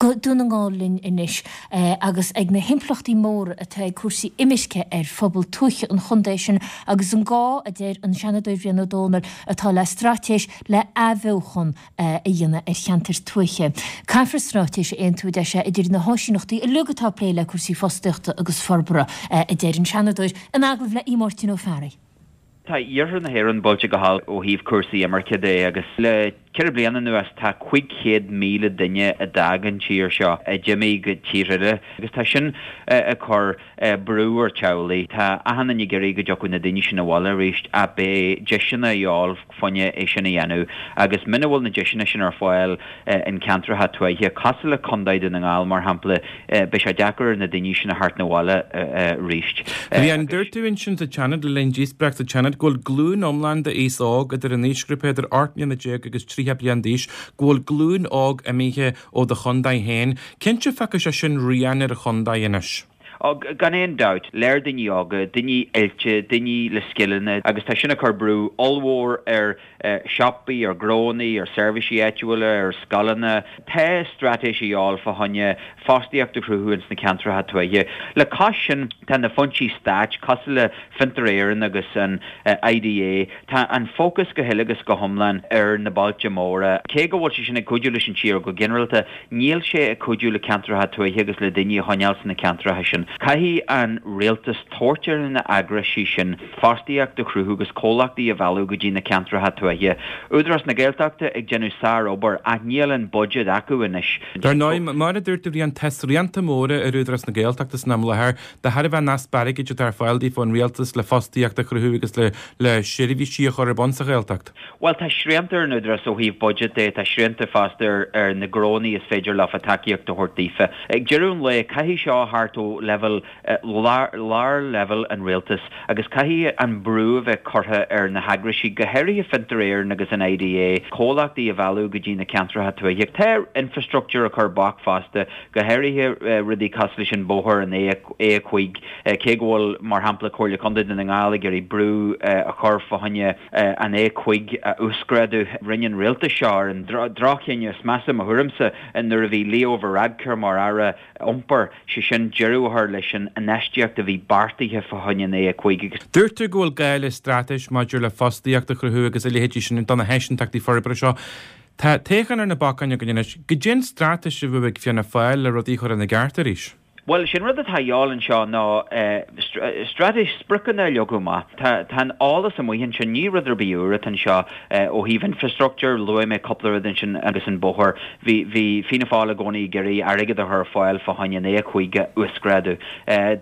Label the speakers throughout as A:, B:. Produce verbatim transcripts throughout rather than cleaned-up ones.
A: Go Dún na nGall linn anois agus ag na himpleachtaí móra atá ag cúrsaí imirce ar phobal tuaithe an chontae sin agus an gá a deir an Seanadóir Brian Ó Dónaill atá le straitéis le athbheochan a dhéanamh ar cheantair tuaithe. Caithfear straitéis a aontú deir sé idir na háisíneachtaí uilig atá ag plé le cúrsaí fostaíochta agus forbartha a deir an Seanadóir in agallamh le Máirtín Ó Fearraigh.
B: Tá iarthar na hÉireann buailte go holc ó thaobh cúrsaí imirce de agus le ceithre bliana anuas tá cúig chéad míle duine a d'fhág an tír seo a d'imigh go tír eile agus tá sin ag cur brú ar teaghlaigh. Tá achan duine ag iarraidh go dtiocfadh na daoine sin abhaile arís ach beidh deiseanna a dhíobháil fá choinne é sin a dhéanamh agus muna bhfuil na deiseanna sin ar fáil in ceantracha tuaithe cosúil le Contae Dhún na nGall mar shampla beidh sé deacair ar na daoine sin a theacht abhaile arís.
C: Bhí an dúirt tú ansin sa Seanad le linn díospóireacht sa Seanad go bhfuil glúin iomlán d'aos óg idir an aoisghrúpa idir ocht mbliana déag agus tríocha bliain d'aois go bhfuil glúin óg imithe ó do chontae féin. Cinnte feicfidh sé sin rian ar a chontae anois.
B: Ó gan aon dabht, léir daoine óga, daoine oilte, daoine le scileanna agus tá sin ag cur brú ollmhór ar siopaí, ar ghnónna, ar seirbhísí áitiúla, ar scoileanna. Tá straitéis a dhíobháil fá choinne fostaíocht a chruthú ins na ceantracha tuaithe. Le cois sin tá na foinsí stáit cosúil le Fiontar Éireann agus an IDA, tá an fócas go huile agus go hiomlán ar na bailte móra. Cé go bhfuil sé sin ag cuidiú leis an tír go ginearálta, níl sé ag cuidiú le ceantracha tuaithe agus le daoine a choinneáil sna ceantracha sin. Caithfidh an rialtas tabhairt ar na heagraisí sin fostaíocht a chruthú agus comhlachtaí a mhealladh go dtí na ceantracha tuaithe. Údarás na Gaeltachta ag déanamh sárobair ach níl an budget acu anois.
C: Dar ndóigh, mar a dúirt tú bhí an tá srianta móra ar Údarás na Gaeltachta san am láthair de thairbhe an easpa airgid atá ar fáil daofa ón rialtas le fostaíocht a chruthú agus le le seirbhísí a chur ar bun sa Ghaeltacht.
B: Well tá srianta ar an Údarás ó thaobh budget de, tá srianta fosta ar, ar na gnónna is féidir leofa tacaíocht a thabhairt daofa. Ag deireadh an lae caithfidh seo thart ó level lár, lár level an rialtas agus caithfidh an brú a bheith curtha ar na heagraisí go háirithe Fiontar Éireann agus an IDA, comhlachtaí a mhealladh go dtí na ceantracha tuaithe. Tá infrastructure a chur bac fosta, go háirithe rudaí cosúil leis an bóthar an A a cúig cé go bhfuil mar shampla Comhairle Contae Dhún na nGall ag iarraidh brú a chur fá choinne an A cúig a uasghrádú. Rinne an rialtas seo ar an droch-chinneadh is measa mo thuairimse nuair a bhí Leo Varadkar mar aire iompair sé sin deireadh a chur leis an infheistíocht a bhí beartaithe fá choinne an A cúig agus.
C: Dúirt tú go bhfuil gá le straitéis maidir le fostaíocht a chruthú agus a leithéidí sin do na háisínteachtaí forbartha seo. Tá toghchán ar na bacáin againn anois, goidé an straitéis a bheadh ag Fianna Fáil le rudaí chur ina gceart arís.
B: Well sin rud atá a dhíobháil anseo ná straitéis spriocanna a leagadh amach. Tá tá an eolas amuigh ansin ní rud ar bith úr atá anseo ó thaobh infrastructure, luaigh mé cúpla rud ansin agus an bóthar. Bhí bhí Fianna Fáil i gcónaí ag iarraidh airgead a chur ar fáil fá choinne an A cúig a uasghrádú.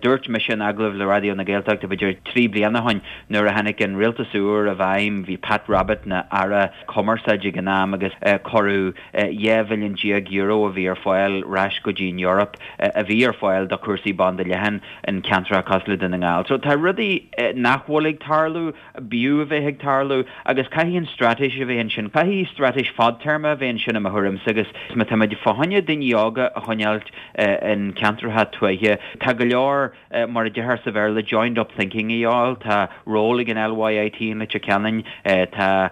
B: Dúirt mise in agallamh le Raidió na Gaeltachta b'fhéidir trí bliana ó shin nuair a tháinig an rialtas úr i bhfeidhm, bhí Pat Rabbitte ina aire cumarsáide ag an am agus cuireadh dhá mhilliún déag euro a bhí ar fáil ar ais go dtí an Eoraip a bhí ar fáil do chúrsaí banda leathan in ceantracha cosúil le Dún na nGall. So tá rudaí nach bhfuil ag tarlú, b'fhiú a bheith ag tarlú agus caithfidh an straitéis a bheith ansin. Caithfidh straitéis fadtéarma a bheith ansin i mo thuairimse agus má táimid fá choinne daoine óga a choinneáil in ceantracha tuaithe. Tá go leor mar a deirtear sa Bhéarla joined up thinking a dhíobháil, tá ról ag an LYIT in Leitir Ceanainn, tá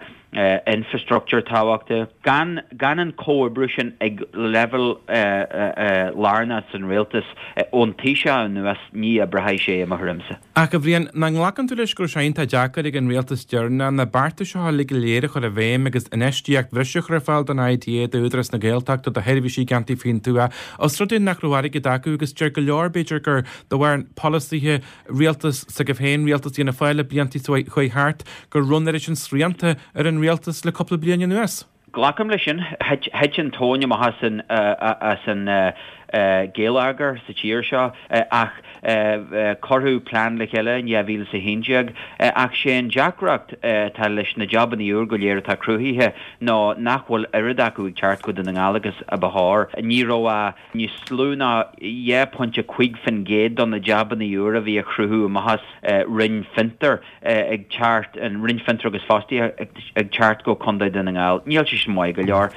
B: infrastructure tábhachtach. Gan gan an comhoibriú sin ag level lárnach san rialtas ón Taoiseach anuas ní oibreoidh sé i mo thuairimse.
C: Ach a Bhriain, nach nglacann tú leis go raibh sé iontach deacair ag an rialtas deireanach na bearta seo uilig go léir a chur i bhfeidhm agus infheistíocht bhreise a chur ar fáil don IDA, d'Údarás na Gaeltachta, do sheirbhísí i gceantair faoin tuath, os rud é nach raibh airgead acu agus deir go leor b'fhéidir gur de bharr polasaithe rialtas s'agaibh féin, rialtas Fhianna Fáil le blianta chuaigh thart, gur raibh an oiread sin srianta ar an rialtas le cúpla bliain anuas.
B: Glacaim leis sin, thit an tóin amach as an as an geilleagar sa tír seo ach cuireadh plean le chéile in dhá mhíle is a haon déag ach sé an deacracht atá leis na jabanna úr go léir atá cruthaithe ná nach bhfuil oiread acu ag teacht go Dún na nGall agus a ba chóir. Ní raibh a níos lú ná dhá phointe cúig faoin gcéad do na jabanna úr a bhí a chruthú amach as Roinn Fiontar ag teacht an Roinn Fiontar agus Fostaíocht ag teacht go Contae Dhún na nGall. Níl sé sin maith go leor.